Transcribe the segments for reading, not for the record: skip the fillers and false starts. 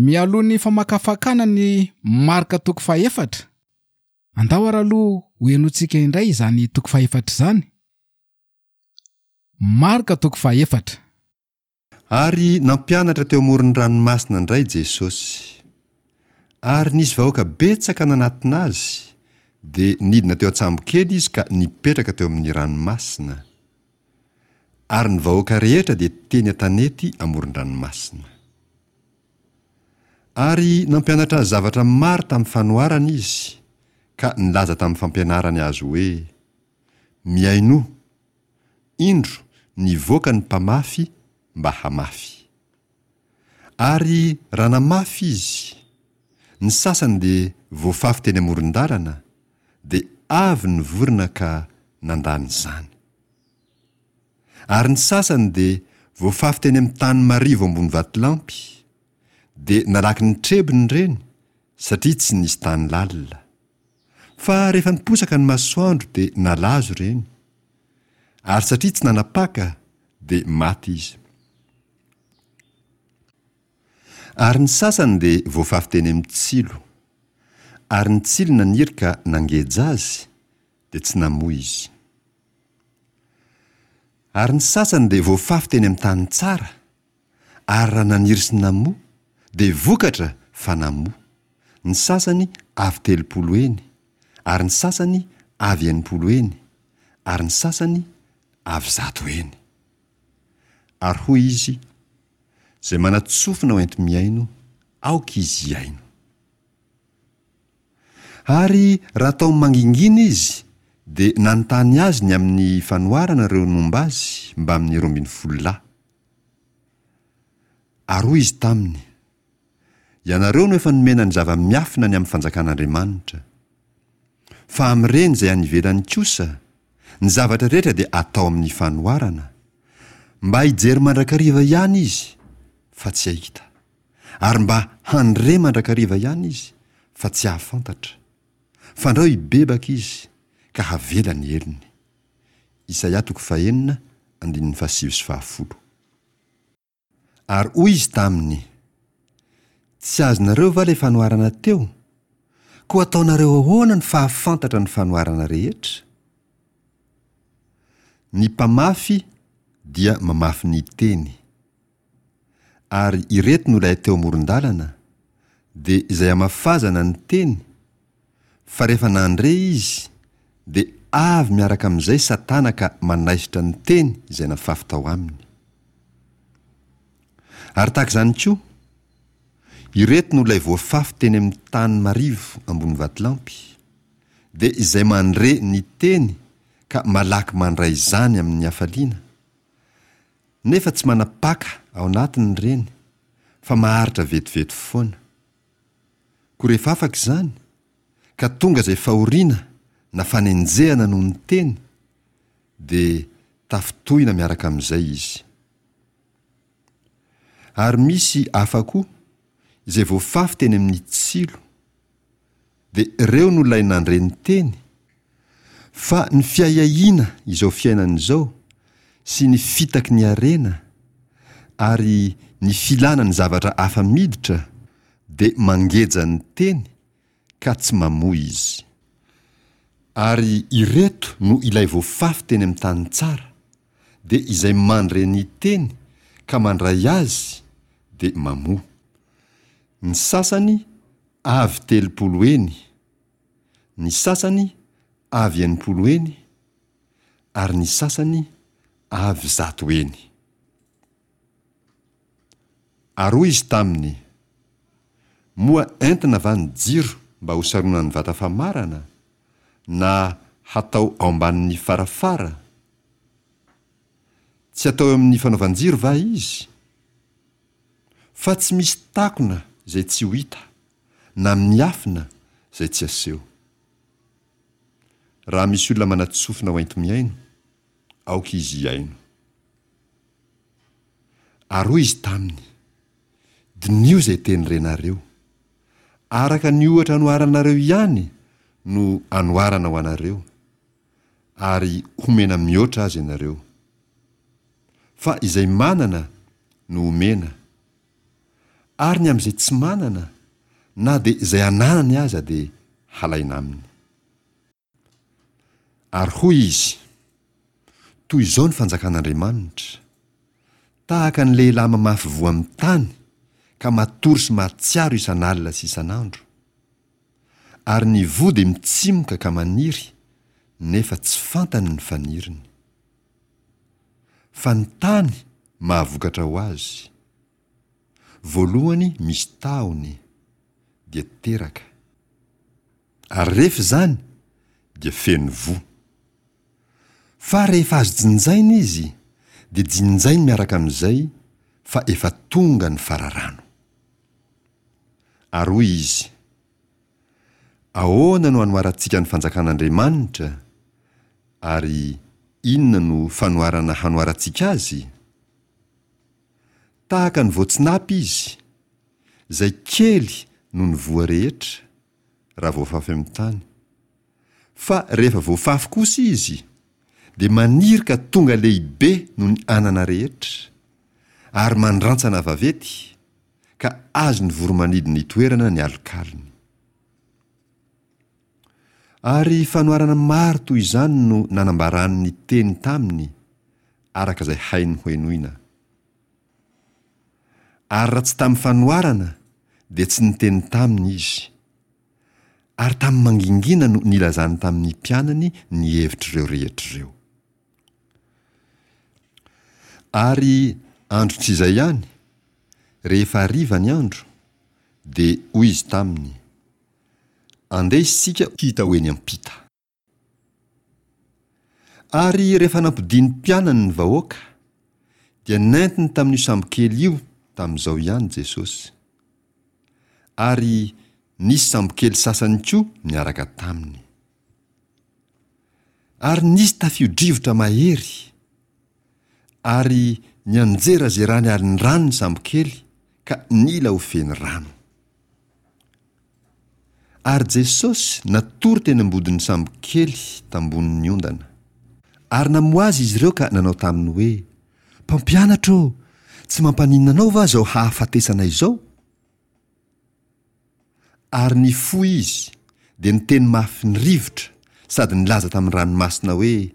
Mialoha ny famakafakana ny Marka toko fahefatra, andao ary aloha ho henointsika indray izany toko fahefatra izany. Marka toko fahefatra. Ary nampianatra teo amoron'ny ranomasina indray Jesosy. Ary nisy vahoaka betsaka nanatona Azy, dia nidina teo an-tsambokely Izy ka nipetraka teo amin'ny ranomasina. Ary ny vahoaka rehetra dia teny an-tanety amoron-dranomasina. Ary nampianatra azy zavatra maro tamin'ny fanoharana Izy, ka nilaza tamin'ny fampianarany azy hoe, Mihainoa! Indro nivoaka ny mpamafy mba hamafy. Ary raha namafy izy, ny sasany dia voafafy teny amoron-dalana, dia avy ny vorona ka nandany izany. Ary ny sasany dia voafafy teny amin'ny tany marivo ambony vatolampy, dia nalaky nitrebona ireny satria tsy nisy tany lalina. Fa rehefa niposaka ny masoandro dia nalazo ireny, ary satria tsy nanapaka dia maty izy. Ary ny sasany dia voafafy teny amin'ny tsilo, ary ny tsilo naniry ka nangeja azy, dia tsy namoa izy. Ary ny sasany dia voafafy teny amin'ny tany tsara, ary raha naniry sy namoa, dia vokatra fa namoa, ny sasany avy 30 heny, ary ny sasany avy 60 heny, ary ny sasany avy 100 heny. Ary hoy izy, Izay manan-tsofina ho enti-mihaino, aoka izy hihaino. Ary raha tao mangingina izy, dia nanontany azy ny amin'ny fanoharana ireo nomba azy mbamin'ny 12 lahy. Ary hoy izy taminy, Ianareo no efa nomena ny zava-miafina ny amin'ny fanjakan'Andriamanitra. Fa amin'ireny izay any ivelany kosa, ny zavatra rehetra dia atao amin'ny fanoharana, mba hijery mandrakariva ihany izy, fa tsy hahita, ary mba handre mandrakariva ihany izy, fa tsy hahafantatra, fandrao hibebaka izy, ka havela ny helony. Isaia toko fahenina, andininy fahasivy sy fahafolo. Ary hoy izy taminy, Tsy azonareo va ilay fanoharana teo? Koa ataonareo ahoana ny fahafantatra ny fanoharana rehetra? Ny mpamafy dia mamafy ny teny. Ary ireto no ilay teo amoron-dalana, dia izay amafazana ny teny, fa rehefa nandre izy, dia avy miaraka amin'izay Satana ka manaisotra ny teny izay nafafy tao aminy. Ary tahaka izany koa, ireto no ilay voafafy teny amin'ny tany marivo ambony vatolampy, dia izay mandre ny teny ka malaky mandray izany amin'ny hafaliana, nefa tsy manapaka ao anatiny ireny, fa maharitra vetivety foana. Koa rehefa afaka izany, ka tonga izay fahoriana na fanenjehana noho ny teny, dia tafintohina miaraka amin'izay izy. Ary misy hafa koa, izay voafafy teny amin'ny tsilo, dia ireo no ilay nandre ny teny, fa ny fiahiahiana izao fiainana izao sy ny fitaky ny harena ary ny filana ny zavatra hafa miditra dia mangeja ny teny ka tsy mamoa izy. Ary ireto no ilay voafafy teny amin'ny tany tsara, dia izay mandre ny teny ka mandray azy dia mamoa. Ny sasany avy 30 heny, ny sasany avy 60 heny, ary ny sasany avy 100 heny. Ary hoy izy taminy, Moa entina va ny jiro mba hosaronan'ny vata famarana, na hatao ao ambanin'ny farafara? Tsy atao eo amin'ny fanaovan-jiro va izy? Fa tsy misy takona izay tsy ho hita, na miafina izay tsy aseho. Raha misy olona manan-tsofina ho enti-mihaino, aoka izy hihaino. Ary hoy izy taminy, Diniho izay teny renareo. Araka ny ohatra anoharanareo ihany no anoharana ho anareo, ary homena mihoatra aza ianareo. Fa izay manana no omena. Ary ny amin'izay tsy manana, na dia izay ananany aza dia halaina aminy. Ary hoy izy, Toy izao ny fanjakan'Andriamanitra, Tahaka ny lehilahy mamafy voa amin'ny tany ka matory sy mahatsiaro isan'alina sy isan'andro. Ary ny voa dia mitsimoka ka maniry, nefa tsy fantany ny faniriny. Fa ny tany mahavokatra ho azy. Voalohany misy tahony, dia teraka. Ary rehefa izany dia feno voa. Fa rehefa azo jinjaina izy dia jinjainy miaraka amin'izay fa efa tonga ny fararano. Ary hoy izy, Ahoana no hanoharantsika ny fanjakan'Andriamanitra, ary inona no fanoharana hanoharantsika azy? Tahaka ny voatsinapy izy, izay kely noho ny voa rehetra, raha voafafy amin'ny tany. Fa rehefa voafafy kosa izy, dia maniry ka tonga lehibe noho ny anana rehetra, ary mandrantsana vaventy, ka azon'ny voro-manidina itoerana ny alokalony. Ary fanoharana maro toy izany no nanambarany ny teny taminy, araka izay hainy hohenoina. Ary raha tsy tamin'ny fanoharana, dia tsy niteny taminy izy. Ary tamin'ny mangingina no nilazany tamin'ny mpianany ny hevitr'ireo rehetra ireo. Ary andro tsy izay ihany, rehefa hariva ny andro, dia hoy izy taminy, Andeha isika hita ho eny am-pita. Ary rehefa nampodian'ny mpianany ny vahoaka, dia nentiny tamin'io sambokely io tamin'izao ihany Jesosy. Ary nisy sambokely sasany koa niaraka taminy. Ary nisy tafio-drivotra mahery, ary nianjerazerany alin-drano ny sambokely ka nila ho feno rano. Ary Jesosy natory teny am-bodin'ny sambo kely tambonin'ny ondana. Ary namoha Azy izy ireo ka nanao taminy hoe, Mpampianatra ô, tsy mampaninona Anao va izao hahafatesanay izao? Ary nifoha Izy, dia niteny mafy ny rivotra sady nilaza tamin'ny ranomasina hoe,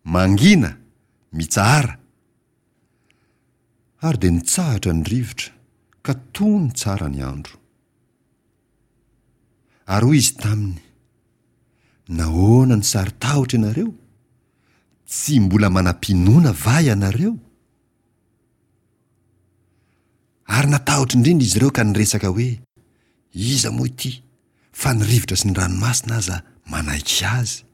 Mangina! Mitsahara! Ary dia nitsahatra ny rivotra, ka tony tsara ny andro. Ary hoy izy taminy, Nahoana no saro-tahotra ianareo? Tsy mbola manam-pinoana va ianareo? Ary natahotra indrindra izy ireo ka niresaka hoe, Iza moa ity, fa ny rivotra sy ny ranomasina aza manaiky azy?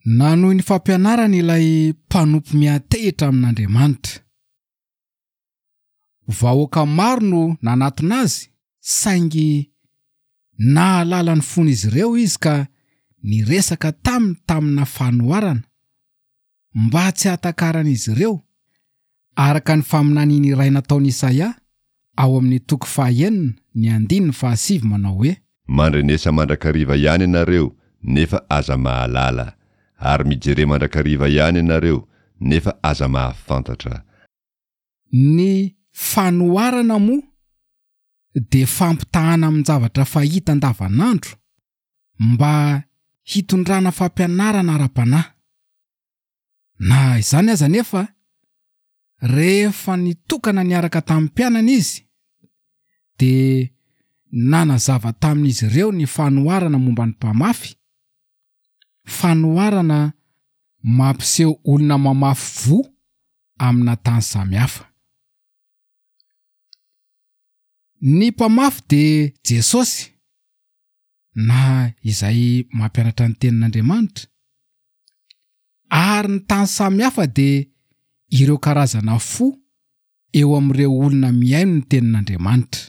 Nanohy ny fampianarany ilay mpanompo miantehitra amin'Andriamanitra. Vahoaka maro no nanatona azy saingy nahalala ny fon'izy ireo izy ka niresaka taminy tamina fanoharana mba tsy hahatakaran'izy ireo, araka ny faminaniana iray nataon'i Isaia ao amin'ny toko fahaenina ny andininy fahasivy manao hoe. Mandrenesa mandrakariva ihany ianareo nefa aza mahalala, ary mijere mandrakariva ihany ianareo nefa aza mahafantatra. Ny fanoharana moa dia fampitahana amin-javatra fahita andavanandro mba hitondrana fampianarana ara-panahy. Na izany aza anefa, rehefa nitokana niaraka tamin'ny mpianany izy, dia nanazava tamin'izy ireo ny fanoharana momba ny mpamafy, fanoharana mampiseho olona mamafy voa amina tany samihafa. Ny mpamafy dia Jesosy, na izay mampianatra ny tenin'Andriamanitra, ary ny tany samihafa dia ireo karazana fo eo amin'ireo olona mihaino ny tenin'Andriamanitra.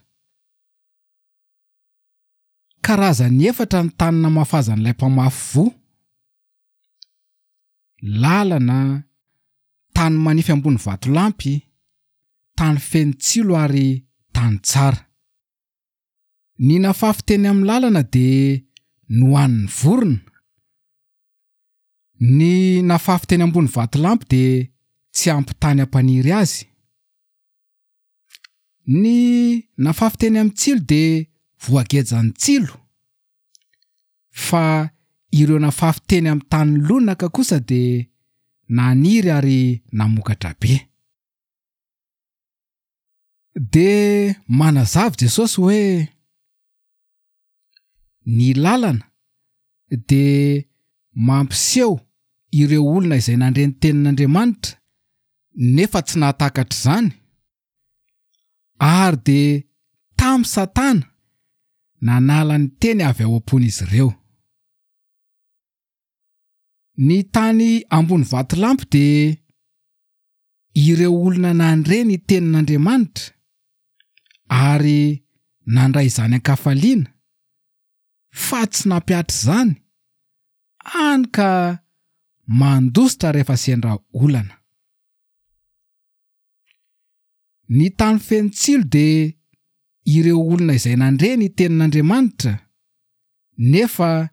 Karazany efatra ny tany namafazan'ilay mpamafy voa, lalana, tany manify ambony vatolampy, tany feno tsilo ary tany tsara. Ny nafafy teny amin'ny lalana dia nohanin'ny vorona. Ny nafafy teny ambony vatolampy dia tsy ampy tany hampaniry azy. Ny nafafy teny amin'ny tsilo dia voagejan'ny tsilo, fa ireo nafafy teny amin'ny tany lonaka kosa dia naniry ary namokatra be. Dia manazava Jesosy hoe ny lalana dia mampiseho ireo olona izay nandre ny tenin'Andriamanitra nefa tsy nahatakatra izany, ary dia tamy Satana nanala ny teny avy ao am-pon'izy ireo. Ny tany ambony vatolampy dia ireo olona nandre ny tenin'Andriamanitra ary nandray izany an-kafaliana fa tsy nampihatra izany, hany ka mandositra rehefa sendra olana. Ny tany feno tsilo dia ireo olona izay nandre ny tenin'Andriamanitra nefa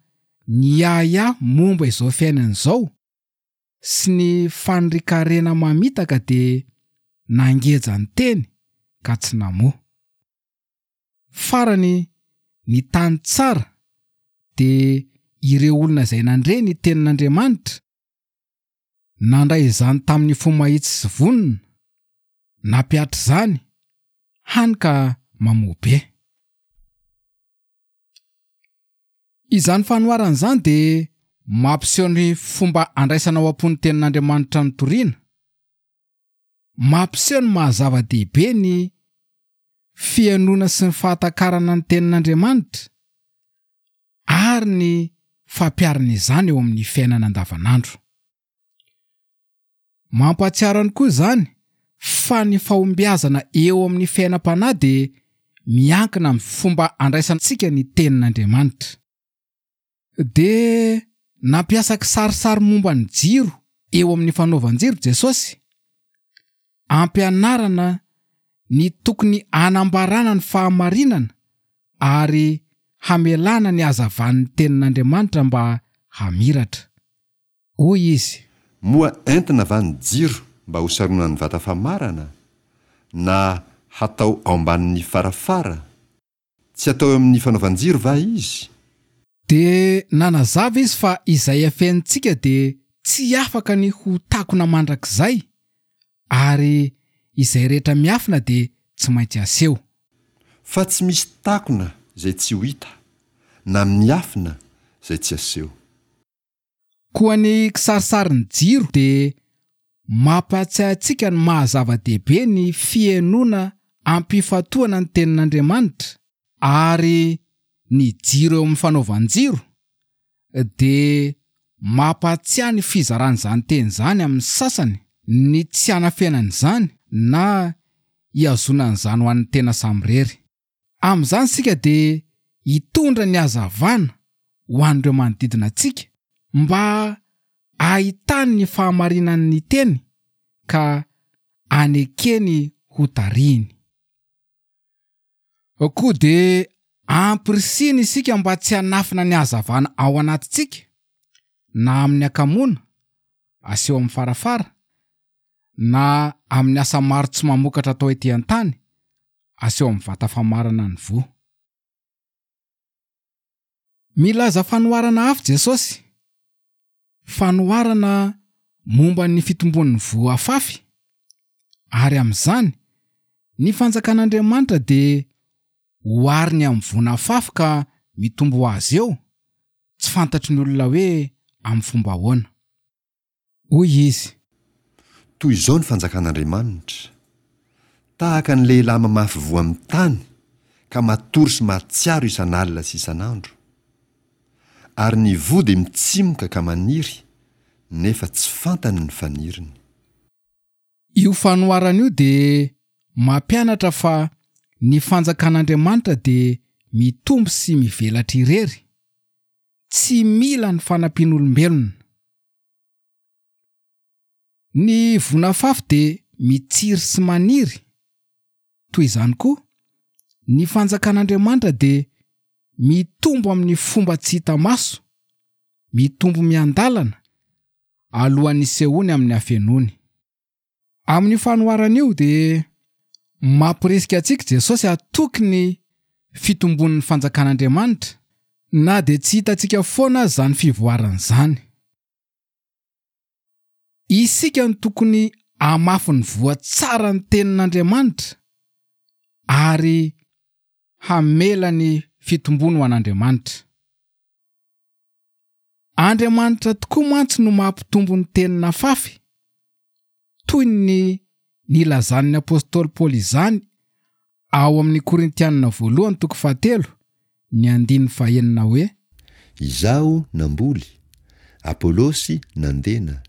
niahiahy momba izao fiainana izao sy ny fanirian-karena mamitaka dia nangeja ny teny ka tsy namoa. Farany, ny tany tsara dia ireo olona izay nandre ny tenin'Andriamanitra, nandray izany tamin'ny fo mahitsy sy vonona, nampihatra izany, hany ka mamoa be. Izany fanoharana izany dia mampiseho ny fomba andraisana ao am-po ny Tenin'Andriamanitra notorina. Mampiseho ny maha-zava-dehibe ny fihainoana sy ny fahatakarana ny Tenin'Andriamanitra ary ny fampiharana izany eo amin'ny fiainana andavanandro. Mampahatsiaro ihany koa izany fa ny fahombiazana eo amin'ny fiainam-panahy dia miankina amin'ny fomba andraisantsika ny Tenin'Andriamanitra. Dia nampiasa kisarisary momba ny jiro eo amin'ny fanaovan-jiro Jesosy, ampianarana ny tokony hanambarana ny fahamarinana ary hamelana ny hazavan'ny Tenin'Andriamanitra mba hamiratra. Hoy izy. Moa entina va ny jiro mba hosaronan'ny vata famarana, na hatao ao ambanin'ny farafara? Tsy atao eo amin'ny fanaovan-jiro va izy? Dia nanazava izy fa izay afenintsika dia tsy afaka ny ho takona mandrakizay, ary izay rehetra miafina dia tsy maintsy aseho. Fa tsy misy takona izay tsy ho hita, na miafina izay tsy aseho. Koa ny kisarisarin'ny jiro dia mampahatsiahy antsika ny maha zava-dehibe ny fihainoana am-pifantohana ny Tenin'Andriamanitra, ary ny jiro eo amin'ny fanaovan-jiro dia mampahatsiahy ny fizarana izany teny izany amin'ny sasany, ny tsy hanafenana izany na hihazonana izany ho an'ny tena samirery. Amin'izany isika dia hitondra ny hazavana ho an'ireo manodidina antsika mba hahitany ny fahamarinan'ny teny ka hanekeny ho tarihiny. Koa dia ampirisihina isika mba tsy hanafina ny hazavana ao anatintsika na amin'ny hakamoana aseho amin'ny farafara na amin'ny asa maro tsy mamokatra atao ety an-tany, aseho amin'ny vata famarana ny voa. Milaza fanoharana hafa Jesosy, fanoharana momba ny fitombon'ny voa afafy, ary amin'izany, ny fanjakan'Andriamanitra dia ohariny amin'ny voa nafafy ka mitombo ho azy eo, tsy fantatry ny olona hoe amin'ny fomba ahoana. Hoy izy. Toy izao ny fanjakan'Andriamanitra, Tahaka ny lehilahy mamafy voa amin'ny tany ka matory sy mahatsiaro isan'alina sy isan'andro. Ary ny voa dia mitsimoka ka maniry, nefa tsy fantany ny faniriny. Io fanoharana io dia mampianatra fa ny fanjakan'Andriamanitra dia mitombo sy mivelatra irery, tsy mila ny fanampian'olombelona. Ny vonafafy dia mitsiry sy maniry, toy izany koa, ny fanjakan'Andriamanitra dia mitombo amin'ny fomba tsy hita maso, mitombo miandalana, alohan'ny hisehoany amin'ny hafenoany. Amin'io fanoharana io dia. Mamporisika antsika Jesosy hatoky ny fitombon'ny fanjakan'Andriamanitra, na dia tsy hitantsika foana aza izany fivoarana izany. Isika no tokony hamafy ny voa tsara ny tenin'Andriamanitra ary hamela ny fitombony ho an'Andriamanitra. Andriamanitra tokoa mantsy no mampitombo ny teny nafafy, toy ny nilazan'ny apostoly Paoly izany ao amin'ny Korintianina voalohany toko fahatelo, ny andininy fahenina hoe. Izaho namboly, Apolosy nandena,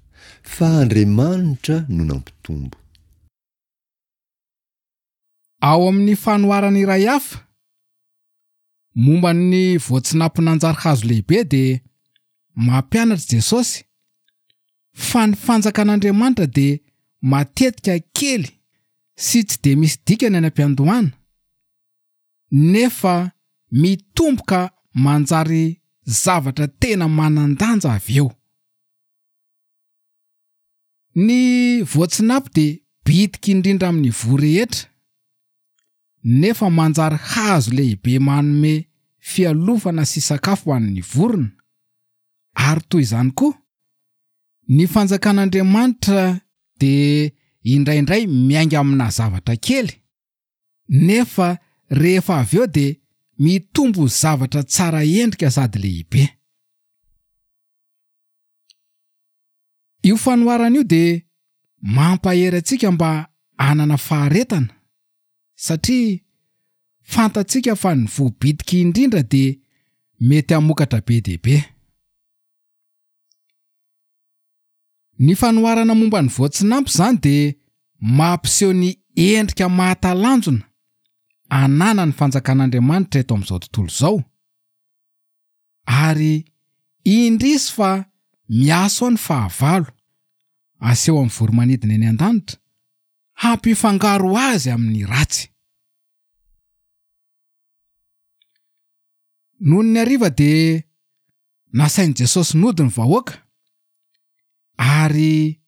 fa Andriamanitra no nampitombo. Ao amin'ny fanoharana iray hafa, Momba ny voatsinapy nanjary hazo lehibe dia mampianatra Jesosy fa ny fanjakan'Andriamanitra dia matetika kely sy tsy dia misy dikany any am-piandohana, nefa mitombo ka manjary zavatra tena manan-danja avy eo. Ny voatsinapy dia bitika indrindra amin'ny voa rehetra, nefa manjary hazo lehibe manome fialofana sy sakafo ho an'ny vorona. Ary toy izany koa, ny fanjakan'Andriamanitra dia indraindray miainga amina zavatra kely, nefa rehefa avy eo dia mitombo ho zavatra tsara endrika sady lehibe. Io fanoharana io dia mampahery antsika mba hanana faharetana, satria fantatsika fa ny voa bitika indrindra dia mety hamokatra be dia be. Ny fanoharana momba ny voatsinampy izany dia mampiseho ny endrika mahatalanjona ananan'ny Fanjakan'Andriamanitra eto amin'izao tontolo izao. Ary indrisy fa miaso ao ny fahavalo, aseho amin'ny voromanidina eny an-danitra, hampifangaro azy amin'ny ratsy. Nony ny hariva dia nasain'i Jesosy nody ny vahoaka, ary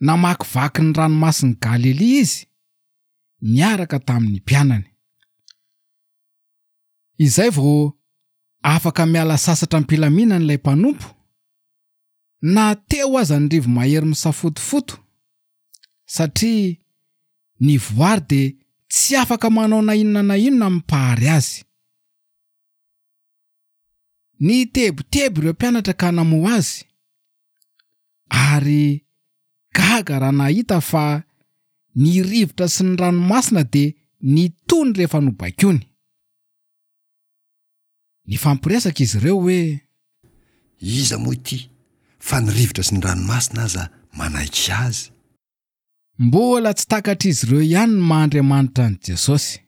namakivaky ny ranomasin'i Galilia izy niaraka tamin'ny mpianany. Izay vao afaka miala sasatra am-pilaminana ilay mpanompo, na teo aza ny rivo-mahery misafotofoto, satria ny voary dia tsy afaka manao na inona na inona amin'ny Mpahary azy. Nitebiteby ireo mpianatra ka namoha azy, ary gaga raha nahita fa ny rivotra sy ny ranomasina dia nitony rehefa nobaikoiny. Nifampiresaka izy ireo hoe. Iza moa ity fa ny rivotra sy ny ranomasina aza manaiky azy? Mbola tsy takatr'izy ireo ihany ny maha Andriamanitra an'i Jesosy.